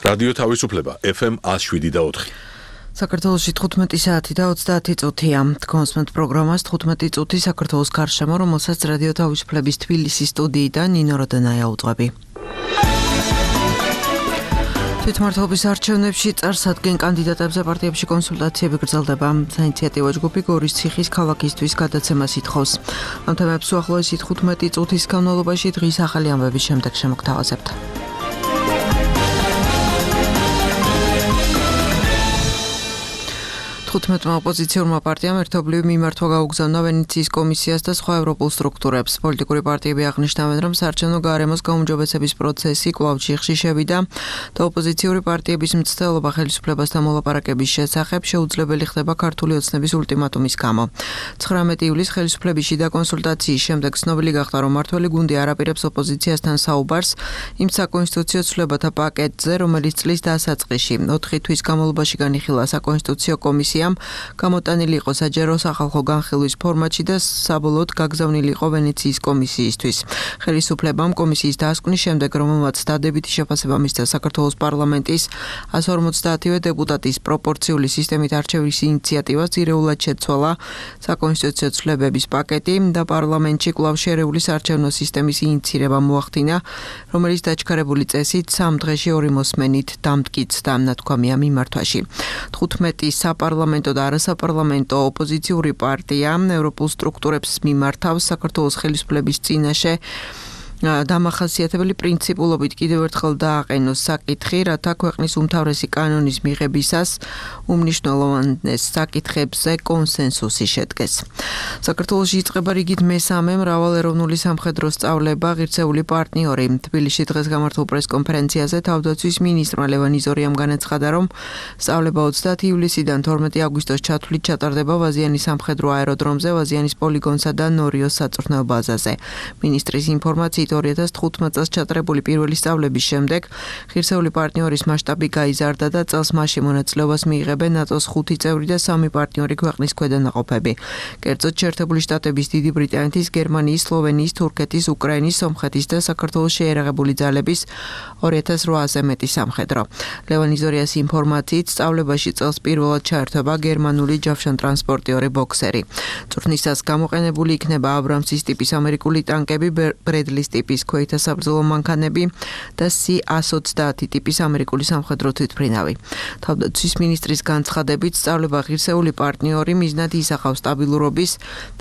რადიო თავისუფლება FM 107.4. საქართველოში 15 საათი და 30 წუთია. კონსმენტ პროგრამას 15 წუთი საქართველოს გარშემო, რომელსაც რადიო თავისუფლების თბილისის სტუდიიდან ნინო როდანაია უძღვები. თვითმმართველობის არჩევნებში წარსადგენ კანდიდატებზე პარტიებში კონსულტაციები გრძელდება. საინიციატივო ჯგუფი გორის ციხის ქალაქისთვის გადაცემას ითხოვს. ამ თემებს უახლოესი 15 წუთის განმავლობაში დღის ახალი ამბების შემდეგ შემოგთავაზებთ. 15 ოპოზიციურმა პარტიამ ერთობლივი მიმართვა გაუგზავნა ვენეციის კომისიას და სხვა ევროპულ სტრუქტურებს. პოლიტიკური პარტიები აღნიშნავენ, რომ საარჩევნო გარემოს გაუმჯობესების პროცესი კვლავ ჩიხში შევიდა და ოპოზიციური პარტიების მცდელობა ხელისუფლებასთან მოლაპარაკების შესახებ შეუძლებელი ხდება ქართული ოცნების ულტიმატუმის გამო. 19 ივლისს ხელისუფლების შიდა კონსულტაციის შემდეგ ცნობილი გახდა, რომ მმართველი გუნდი არ აპირებს ოპოზიციასთან საუბარს იმ საკონსტიტუციო ცვლილებათა პაკეტზე, რომელიც წლის დასაწყისში 4 თვის განმავლობაში განიხილა საკონსტიტუციო კომისიამ, გამოტანილი იყო საჯარო სახალხო განხილვის ფორმატში და საბოლოოდ გაგზავნილი იყო ვენეციის კომისიისთვის. ხელისუფლებამ კომისიის დასკვნის შემდეგ, რომელმაც დადებითი შეფასება მისცა საქართველოს პარლამენტის 150-ვე დეპუტატის პროპორციული სისტემით არჩევის ინიციატივას, ძირეულად შეცვალა საკონსტიტუციო ცვლილებების პაკეტი და პარლამენტში კვლავ შერეული საარჩევნო სისტემის ინიცირება მოახდინა, რომელიც დაჩქარებული წესით 3 დღეში 2 მოსმენით დამტკიცდა, ნათქვამია მიმართვაში. 15 საპარლამენტო და არასაპარლამენტო ოპოზიციური პარტია ევროპულ სტრუქტურებს მიმართავს საქართველოს ხელისუფლების წინაშე დამახასიათებელი პრინციპულობით კიდევ ერთხელ დააყენოს საკითხი, რათა ქვეყნის უმთავრესი კანონის მიღებისას უმნიშვნელოვანეს საკითხებზე კონსენსუსი შედგეს. საქართველოში იწყება რიგით მესამე მრავალეროვნული სამხედრო სწავლება ღირსეული პარტნიორი. თბილისში დღეს გამართულ პრესკონფერენციაზე თავდაცვის მინისტრმა ლევან იზორიამ განაცხადა, რომ სწავლება 30 ივლისიდან 12 აგვისტოს ჩათვლით ჩატარდება ვაზიანის სამხედრო აეროდრომზე, ვაზიანის პოლიგონსა და ნორიოს საწვრთნელ ბაზაზე. მინისტრის ინფორმაციით 2015 წელს ჩატარებული პირველი სწავლების შემდეგ ღირსეული პარტნიორის მასშტაბი გაიზარდა და წელს მასში მონაწილეობას მიიღებენ ნატოს 5 წევრი და 3 პარტნიორი ქვეყნის ქვედანაყოფები. კერძოდ შეერთებული შტატების, დიდი ბრიტანეთის, გერმანიის, სლოვენიის, თურქეთის, უკრაინის, სომხეთის და საქართველოს შეერაღებული ძალების 2800-ზე მეტი სამხედრო. ლევან იზორიას ინფორმაციით სწავლებაში წელს პირველად ჩაერთვება გერმანული ჯავშანტრანსპორტიორი ბოქსერი. წვრთნისას გამოყენებული იქნება აბრამსის ტიპის ამერიკული ტანკები, ბრედლის ტიპის ქვეითა საბრძოლო მანქანები და C-130 ტიპის ამერიკული სამხედრო თვითმფრინავი. თავდაცვის მინისტრის განცხადებით, სწავლება ღირსეული პარტნიორი მიზნად ისახავს სტაბილურობის,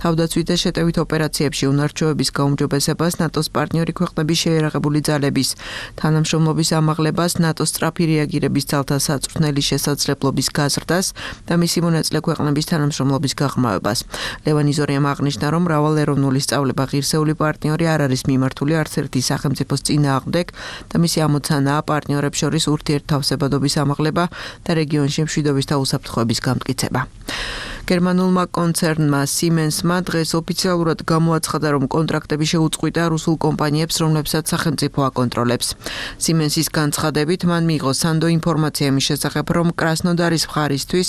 თავდაცვით და შეტევით ოპერაციებში უნარჩვევების გაუმჯობესებას, ნატოს პარტნიორი ქვეყნების შეერაღებული ძალების თანამშრომლობის ამაღლებას, ნატოს სწრაფი რეაგირების ძალთა საწვრთნელი შესაძლებლობის გაზრდას და მისი მონაწილე ქვეყნების თანამშრომლობის გაღრმავებას. ლევან იზორიამ აღნიშნა, რომ მრავალეროვნული სწავლება ღირსეული პარტნიორი არ არის მიმართული არც ერთი სახელმწიფოს წინააღმდეგ და მისი ამოცანაა პარტნიორებს შორის ურთიერთთავსებადობის ამაღლება და რეგიონში მშვიდობის და უსაფრთხოების გამტკიცება. გერმანულმა კონცერნმა Siemens-მა დღეს ოფიციალურად გამოაცხადა, რომ კონტრაქტები შეუწყვიტა რუსულ კომპანიებს, რომლებსაც სახელმწიფო აკონტროლებს. Siemens-ის განცხადებით მან მიიღო სანდო ინფორმაცია იმის შესახებ, რომ კრასნოდარის მხარისთვის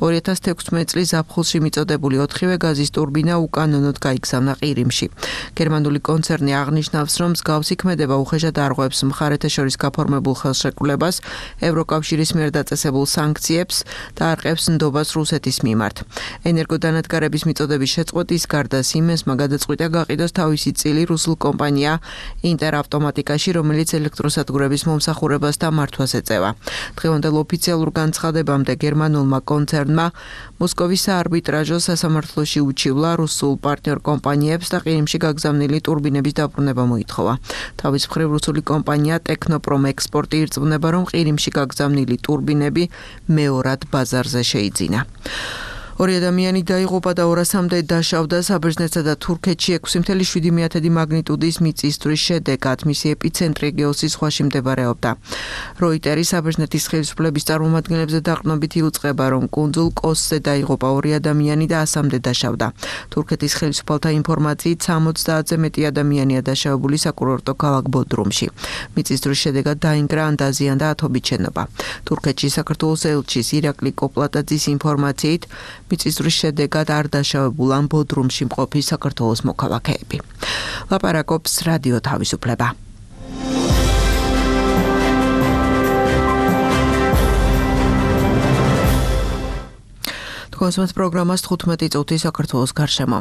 2016 წლის ზაფხულში მიწოდებული 4-ვე გაზის ტურბინა უკანონოდ გაიგზავნა ყირიმში. გერმანული კონცერნი აღნიშნავს, რომ მსგავსი ქმედება უხეშად არღვევს მხარეთა შორის გაფორმებულ ხელშეკრულებას, ევროკავშირის მიერ დაწესებულ სანქციებს და არყევს ნდობას რუსეთის მიმართ. ენერგოდანადგარების მიწოდების შეწყვეტის გარდა Siemens-მა გადაწყვიტა გაყიდოს თავისი წილი რუსულ კომპანია ინტერავტომატიკაში, რომელიც ელექტროსადგურების მომსახურებას და მართვას ეწევა. დღევანდელ ოფიციალურ განცხადებამდე გერმანულმა კონცერნმა მოსკოვის საარბიტრაჟო სასამართლოში უჩივლა რუსულ პარტნიორ კომპანიებს და ყირიმში გაგზავნილი ტურბინების დაბრუნება მოითხოვა. თავის მხრივ რუსული კომპანია ტექნოპრომ ექსპორტი ირწმუნება, რომ ყირიმში გაგზავნილი ტურბინები მეორად ბაზარზე შეიძინა. 2 ადამიანი დაიღუპა და 200-მდე დაშავდა საბერძნეთსა და თურქეთში 6.7 მაგნიტუდის მიწისძვრის შედეგად. მისი ეპიცენტრი გეოსის ზღვაში მდებარეობდა. როიტერი საბერძნეთის ხელისუფლების წარმომადგენლებზე დაყრდნობით იუწყება, რომ კუნძულ კოსზე დაიღუპა 2 ადამიანი და 100-მდე დაშავდა. თურქეთის ხელისუფალთა ინფორმაციით 70-ზე მეტი ადამიანია დაშავებული საკურორტო ქალაქ ბოდრუმში. მიწისძვრის შედეგად დაინგრა ან დაზიანდა ათობით შენობა. თურქეთში საქართველოს ელჩის ირაკლი კოპლატაძის ინფორმაციით მიწისძვრის შედეგად არ დაშავებულან ბოდრუმში მყოფი საქართველოს მოქალაქეები. ლაპარაკობს რადიო თავისუფლება. Თქვენს პროგრამას 15 წუთი საქართველოს გარშემო.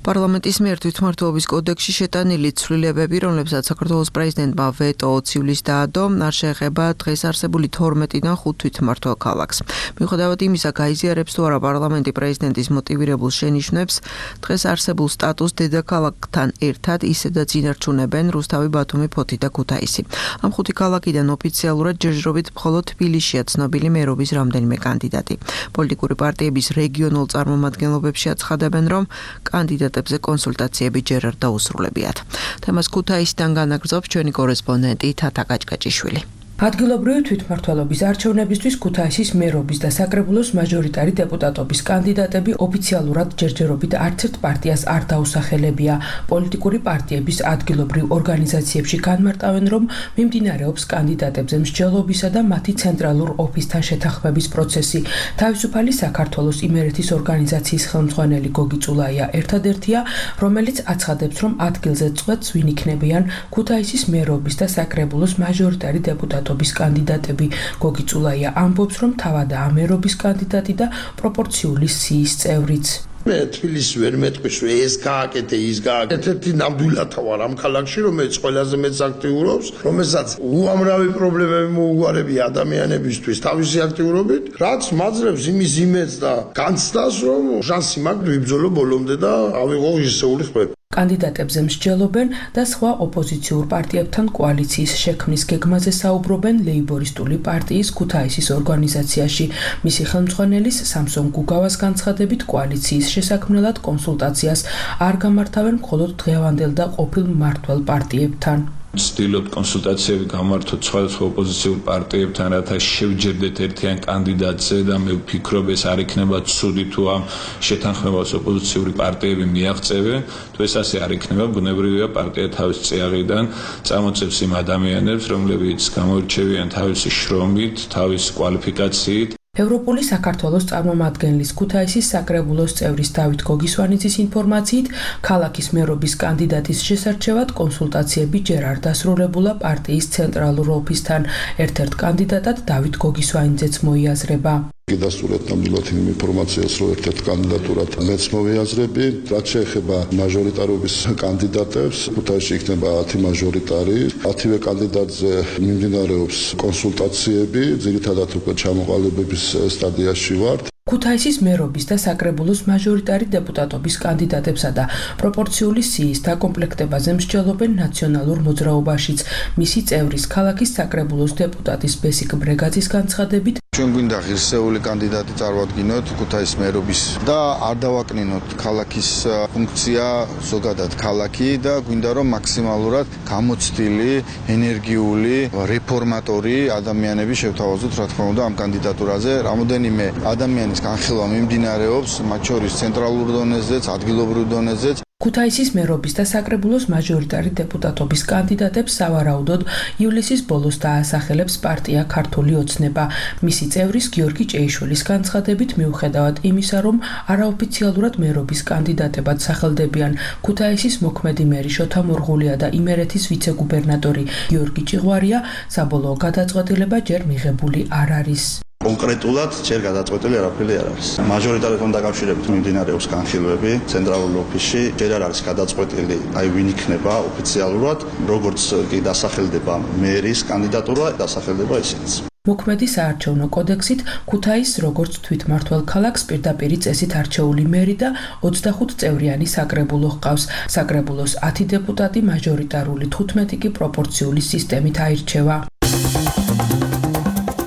პარლამენტის მიერ თვითმმართველობის კოდექსში შეტანილი ცვლილებები, რომლებსაც საქართველოს პრეზიდენტმა ვეტო 20 ივლისს დაადო, არ შეეხება დღეს არსებული 12-დან 5 თვითმმართველ ქალაქს. მიუხედავად იმისა, გაიზიარებს თუ არა პარლამენტი პრეზიდენტის მოტივირებულ შენიშვნებს, დღეს არსებულ სტატუსს დედაქალაქთან ერთად ისედაც ინარჩუნებენ რუსთავი, ბათუმი, ფოთი და ქუთაისი. ამ 5 ქალაქიდან ოფიციალურად ჯერჯერობით მხოლოდ თბილისშია ცნობილი მერობის რამდენიმე კანდიდატი. პოლიტიკური პარტიების რეგიონულ წარმომადგენლობებში აცხადებენ, რომ კანდიდატებზე კონსულტაციები ჯერ არ დაუსრულებიათ. თემას ქუთაისიდან განაგრძობს ჩვენი კორესპონდენტი თათა კაჭკაჭიშვილი. ადგილობრივი თვითმმართველობის არჩევნებისთვის ქუთაისის მერობის და საკრებულოს მაჟორიტარი დეპუტატობის კანდიდატები ოფიციალურად ჯერჯერობით არც ერთ პარტიას არ დაუსახელებია. პოლიტიკური პარტიების ადგილობრივ ორგანიზაციებში განმარტავენ, რომ მიმდინარეობს კანდიდატებზე მსჯელობისა და მათი ცენტრალურ ოფისთან შეთანხმების პროცესი. თავისუფალი საქართველოს იმერეთის ორგანიზაციის ხელმძღვანელი გოგი წულაია ერთადერთია, რომელიც აცხადებს, რომ ადგილზე წვეთს ვინ იქნებიან ქუთაისის მერობის და საკრებულოს მაჟორიტარი დეპუტატები კანდიდატები. გოგი წულაია ამბობს, რომ თავადაა მერობის კანდიდატი და პროპორციული სიის წევრიც. მე თბილისში ვერ მეტყვის, რომ ეს გააკეთე, ის გააკეთე. ერთ-ერთი ნამდვილად ვარ ამ ქალაქში, რომელიც ყველაზე მეტს აქტიურობს, რომელსაც უამრავი პრობლემები მოუგვარებია ადამიანებისთვის თავისი აქტიურობით, რაც მაძლევს იმის იმედს და განცდას, რომ შანსი მაქვს ვიბრძოლო ბოლომდე და ავიღო ღირსეული ხმები. კანდიდატებზე მსჯელობენ და სხვა ოპოზიციურ პარტიებთან კოალიციის შექმნის გეგმაზე საუბრობენ ლეიბორისტული პარტიის ქუთაისის ორგანიზაციაში. მისი ხელმძღვანელის სამსონ გუგავას განცხადებით კოალიციის შესაქმნელად კონსულტაციას არ გამართავენ მხოლოდ დღევანდელ და ყოფილ მმართველ პარტიებთან. ვცდილობთ კონსულტაციები გამართოთ სხვადასხვა ოპოზიციურ პარტიებთან, რათა შევჯერდეთ ერთიან კანდიდატზე და მე ვფიქრობ, ეს არ იქნება ცუდი თუ ამ შეთანხმებას ოპოზიციური პარტიები მიაღწევენ. თუ ეს ასე არ იქნება, ბუნებრივია პარტია თავის წიაღიდან წამოწევს იმ ადამიანებს, რომლებიც გამოირჩევიან თავისი შრომით, თავისი კვალიფიკაციით. ევროპული საქართველოს წარმომადგენლის ქუთაისის საკრებულოს წევრის დავით გოგისვანიძის ინფორმაციით, ქალაქის მერობის კანდიდატის შესარჩევად კონსულტაციები ჯერ არ დასრულებულა პარტიის ცენტრალურ ოფისთან. ერთ-ერთ კანდიდატად დავით გოგისვანიძეც მოიაზრება. გიდასტურეთ ნამდვილად იმ ინფორმაციას, რომ ერთ-ერთ კანდიდატურად მეც მოვიაზრები. რაც შეეხება მაჟორიტარობის კანდიდატებს, ქუთაისში იქნება 10 მაჟორიტარი. 10-ვე კანდიდატზე მიმდინარეობს კონსულტაციები, ძირითადად უკვე ჩამოყალიბების სტადიაში ვართ. ქუთაისის მერობის და საკრებულოს მაჟორიტარი დეპუტატობის კანდიდატებსა და პროპორციული სიის დაკომპლექტებაზე მსჯელობენ ნაციონალურ მოძრაობაშიც. მისი წევრის ქალაქის საკრებულოს დეპუტატის ბესიკ ბრეგაძის განცხადებით, ჩვენ გვინდა ღირსეული კანდიდატი წარმოვადგინოთ ქუთაისის მერობის და არ დავაკნინოთ ქალაქის ფუნქცია, ზოგადად ქალაქი და გვინდა რომ მაქსიმალურად გამოცდილი, ენერგიული, რეფორმატორი ადამიანები შევთავაზოთ, რა თქმა უნდა, ამ კანდიდატურაზე. რამოდენიმე ადამიანის განხილვა მიმდინარეობს, მათ შორის ცენტრალურ დონეზეც, ადგილობრივ დონეზეც. ქუთაისის მერობის და საკრებულოს მაჟორიტარი დეპუტატობის კანდიდატებს სავარაუდოდ ივლისის ბოლოს დაასახელებს პარტია ქართული ოცნება. მისი წევრის გიორგი ჭეიშვილის განცხადებით, მიუხედავად იმისა, რომ არაოფიციალურად მერობის კანდიდატებად სახელდებიან ქუთაისის მოქმედი მერი შოთა მორღულია და იმერეთის ვიცე-გუბერნატორი გიორგი ჭიღვარია, საბოლოო გადაწყვეტილება ჯერ მიღებული არ არის. კონკრეტულად ჯერ გადაწყვეტილი არაფერი არ არის. მაჟორიტართან დაკავშირებით მიმდინარეობს განხილვები ცენტრალურ ოფისში, ჯერ არ არის გადაწყვეტილი, ვინ იქნება ოფიციალურად, როგორც კი დასახელდება მერის კანდიდატურა, დასახელდება ისინიც. მოქმედი საარჩევნო კოდექსით ქუთაისს როგორც თვითმმართველ ქალაქს პირდაპირი წესით არჩეული მერი და 25 წევრიანი საკრებულო ჰყავს. საკრებულოს 10 დეპუტატი მაჟორიტარული 15 კი პროპორციული სისტემით აირჩევა.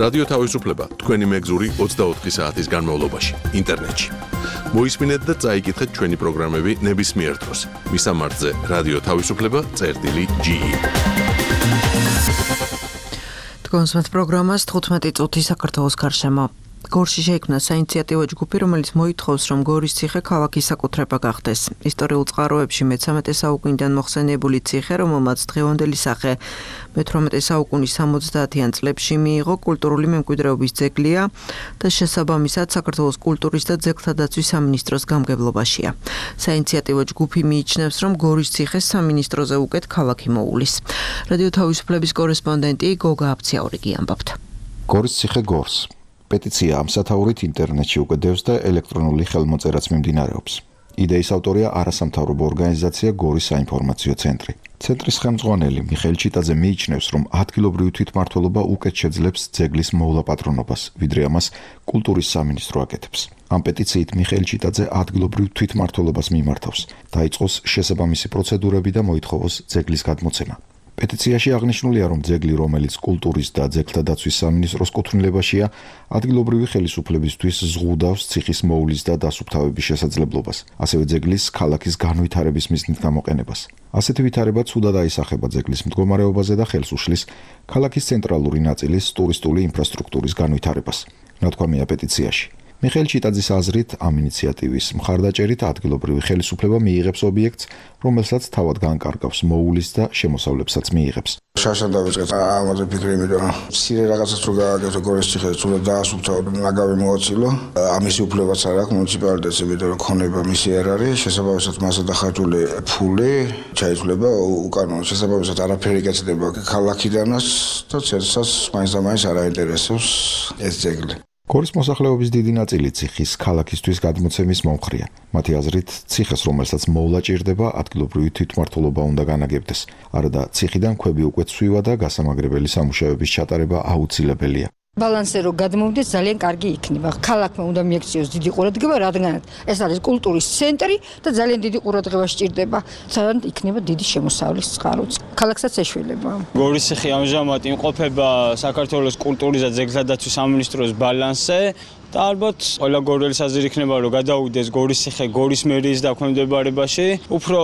რადიო თავისუფლება თქვენი მეგზური 24 საათის განმავლობაში ინტერნეტში. მოისმინეთ და წაიკითხეთ ჩვენი პროგრამები ნებისმიერ დროს. მისამართზე რადიო თავისუფლება.ge. თქვენს პროგრამას 15 წუთი საქართველოს გარშემო. გორში შეიქმნა საინიციატივო ჯგუფი, რომელიც მოითხოვს, რომ გორის ციხე ქალაქის საკუთრება გახდეს. ისტორიულ წყაროებში მე-13 საუკუნიდან მოხსენიებული ციხე, რომელმაც დღევანდელი სახე მე-18 საუკუნის 70-იან წლებში მიიღო, კულტურული მემკვიდრეობის ძეგლია და შესაბამისად საქართველოს კულტურის და ძეგლთა დაცვის სამინისტროს გამგებლობაშია. საინიციატივო ჯგუფი მიიჩნევს, რომ გორის ციხე სამინისტროზე უკეთ ქალაქი მოულის. რადიო თავისუფლების კორესპონდენტი გოგა აფციაურიგი ამბობთ. გორის ციხე გორს პეტიცია ამ სათაურით ინტერნეტში უკვე დევს და ელექტრონული ხელმოწერაც მიმდინარეობს. იდეის ავტორია არასამთავრობო ორგანიზაცია გორის საინფორმაციო ცენტრი. ცენტრის ხელმძღვანელი მიხეილ ჩიტაძე მიიჩნევს, რომ ადგილობრივი თვითმმართველობა უკეთ შეძლებს ძეგლის მოვლა-პატრონობას, ვიდრე ამას კულტურის სამინისტრო აკეთებს. ამ პეტიციით მიხეილ ჩიტაძე ადგილობრივ თვითმმართველობას მიმართავს, დაიწყოს შესაბამისი პროცედურები და მოითხოვოს ძეგლის გადმოცემა. პეტიციაში აღნიშნულია, რომ ძეგლი, რომელიც კულტურის და ძეგლთა დაცვის სამინისტროს კუთვნილებაშია, ადგილობრივი ხელისუფლებისთვის ზღუდავს ციხის მოვლის და დასუფთავების შესაძლებლობას, ასევე ძეგლის ქალაქის განვითარების მიზნით გამოყენებას. ასეთი ვითარება ცუდად აისახება ძეგლის მდგომარეობაზე და ხელს უშლის ქალაქის ცენტრალური ნაწილის ტურისტული ინფრასტრუქტურის განვითარებას. ნათქვამია პეტიციაში. მიხეილ ჩიტაძის აზრით, ამ ინიციატივის მხარდაჭერით ადგილობრივი ხელისუფლება მიიღებს ობიექტს, რომელსაც თავად განკარგავს მოულის და შემოსავლებსაც მიიღებს. შარშან დავიწყეთ ამაზე ფიქრი, იმიტომ რომ მცირე რაღაცას რო გააკეთო გორის ციხეზე, თუნდაც დაასუფთავო და ნაგავი მოაწილო, ამის უფლებაც არ აქვს მუნიციპალიტეტს, იმიტომ რომ ქონება მისი არ არის, შესაბამისად მასა დახარჯული ფული ჩაითვლება უკანონო, შესაბამისად არაფერი გეცდება ქალაქიდანაც და ცერცას მაინც და მაინც არ აინტერესებს ეს ძეგლი. გორის მოსახლეობის დიდი ნაწილი ციხის ქალაქისთვის გადმოცემის მომხრეა. მათი აზრით, ციხეს, რომელსაც მოვლა ჭირდება, ადგილობრივი თვითმმართველობა უნდა განაგებდეს. არადა ციხიდან ქვები უკვე ცვივა და გასამაგრებელი სამუშაოების ჩატარება აუცილებელია. ბალანსზე რო გადმოვიდეს ძალიან კარგი იქნება. ქალაქმა უნდა მიექციოს დიდი ყურადღება, რადგან ეს არის კულტურის ცენტრი და ძალიან დიდი ყურადღება სჭირდება. ძალიან იქნება დიდი შემოსავლის წყაროც. ქალაქსაც ეშველება. გორის ციხე ამჟამად იმყოფება საქართველოს კულტურის და ძეგლთა დაცვის სამინისტროს ბალანსზე. და ალბათ ყველა გორელის აზრი იქნება, რომ გადაუვიდეს გორის ციხე გორის მერიის დაქვემდებარებაში. უფრო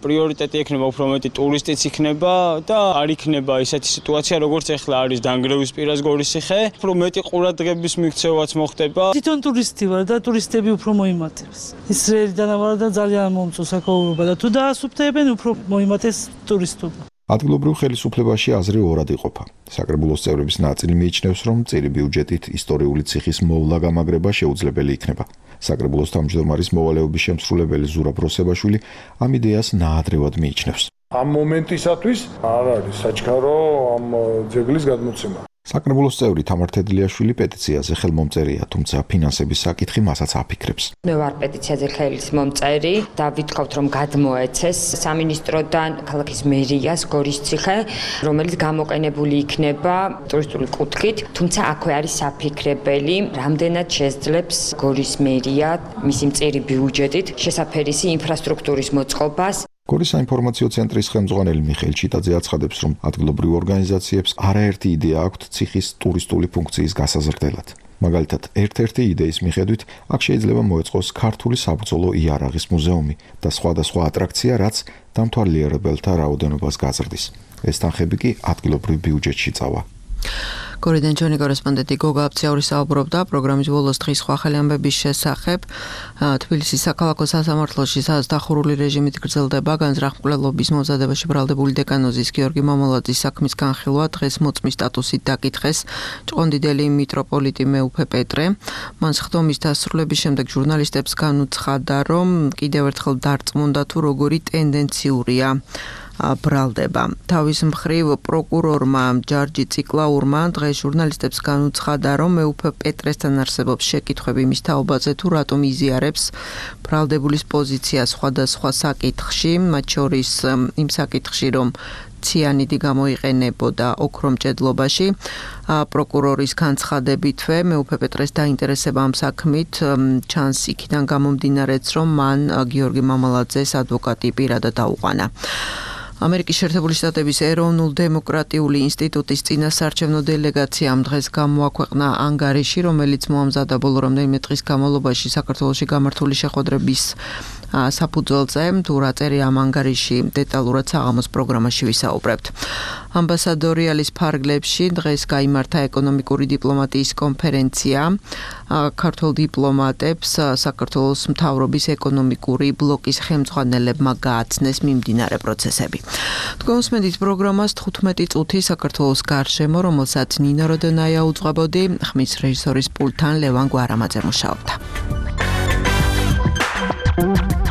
პრიორიტეტი იქნება, უფრო მეტი ტურისტიც იქნება და არ იქნება ისეთი სიტუაცია, როგორც ახლა არის დანგრევის პირას გორის ციხე. უფრო მეტი ყურადღების მიქცევაც მოხდება. თვითონ ტურისტი ვარ და ტურისტები უფრო მოიმატებს. ისრაელიდან ვარ და ძალიან მომწონს საკოლობა და თუ დაასუფთავებენ, უფრო მოიმატეს ტურისტობა. ადგილობრივ ხელისუფლებაში აზრი ორად იყოფა. საკრებულოს წევრების ნაწილი მიიჩნევს, რომ წირი ბიუჯეტით ისტორიული ციხის მოვლა გამაგრება შეუძლებელი იქნება. საკრებულოს თავმჯდომარის მოვალეობის შემსრულებელი ზურაბ როსებაშვილი ამ იდეას ნაადრევად მიიჩნევს. ამ მომენტისათვის არ არის საჩქარო ამ ძეგლის გადმოცემა. საკრებულოს წევრი თამარ თედლიაშვილი პეტიციაზე ხელმომწერია, თუმცა ფინანსების საკითხი მასაც აფიქრებს. მე ვარ პეტიციაზე ხელმომწერი და ვითხოვთ, რომ გადმოეცეს სამინისტროდან ქალაქის მერიას გორის ციხე, რომელიც გამოყენებული იქნება ტურისტული კუთხით, თუმცა აქვე არის საფიქრებელი, რამდენად შეძლებს გორის მერია მისი მწირი ბიუჯეტით შესაფერისი ინფრასტრუქტურის მოწყობას. გორის საინფორმაციო ცენტრის ხელმძღვანელი მიხეილ ჩიტაძე აცხადებს, რომ ადგილობრივ ორგანიზაციებს არაერთი იდეა აქვთ ციხის ტურისტული ფუნქციის გასაზრდელად. მაგალითად, ერთ-ერთი იდეის მიხედვით, აქ შეიძლება მოეწყოს ქართული საბრძოლო იარაღის მუზეუმი და სხვადასხვა ატრაქცია, რაც დამთვალიერებელთა რაოდენობას გაზრდის. ეს თანხები კი ადგილობრივ ბიუჯეტში წავა. გორიდან ჩვენი კორესპონდენტი გოგა აფციაური საუბრობდა პროგრამის ბოლოს დღის სხვა ხელი ამბების შესახებ. თბილისის საქალაქო სასამართლოში სადაც დახურული რეჟიმით გრძელდება განზრახმკვლელობის მომზადებაში ბრალდებული დეკანოზის გიორგი მამულაძის საქმის განხილვა დღეს მოწმის სტატუსით დაკითხეს ჭყონდიდელი მიტროპოლიტი მეუფე პეტრე. მან სხდომის დასრულების შემდეგ ჟურნალისტებს განუცხადა, რომ კიდევ ერთხელ დარწმუნდა თუ როგორი ტენდენციურია ბრალდება. თავის მხრივ პროკურორმა ჯარჯი ციკლაურმა დღეს ჟურნალისტებს განუცხადა, რომ მეუფე პეტრესთან არსებობს შეკითხვები მის თაობაზე თუ რატომ იზიარებს ბრალდებულის პოზიციას სხვადასხვა საკითხში, მათ შორის იმ საკითხში, რომ ციანიდი გამოიყენებოდა ოქრომჭედლობაში. პროკურორის განცხადებითვე მეუფე პეტრეს დაინტერესება ამ საქმით ჩანს იქიდან გამომდინარეც, რომ მან გიორგი მამალაძეს ადვოკატი პირადად აუყანა. ამერიკის შეერთებული შტატების ეროვნულ-დემოკრატიული ინსტიტუტის წინასაარჩევნო დელეგაციამ დღეს გამოაქვეყნა ანგარიში, რომელიც მოამზადა ბოლო რამდენიმე დღის განმავლობაში საქართველოში გამართული შეხვედრების საფუძველზე, თუ რა წერია ამ ანგარიში დეტალურად საღამოს პროგრამაში ვისაუბრებთ. ამბასადორიალის ფარგლებში დღეს გაიმართა ეკონომიკური დიპლომატიის კონფერენცია. ქართულ დიპლომატებს საქართველოს მთავრობის ეკონომიკური ბლოკის ხელმძღვანელებმა გააცნეს მიმდინარე პროცესები. თქვენსმენთ პროგრამას 15 წუთი საქართველოს გარშემო, რომელსაც ნინო როდონაია უძღვებოდი, ხმის რეჟისორის პულტთან ლევან გვარამაძე მუშაობდა.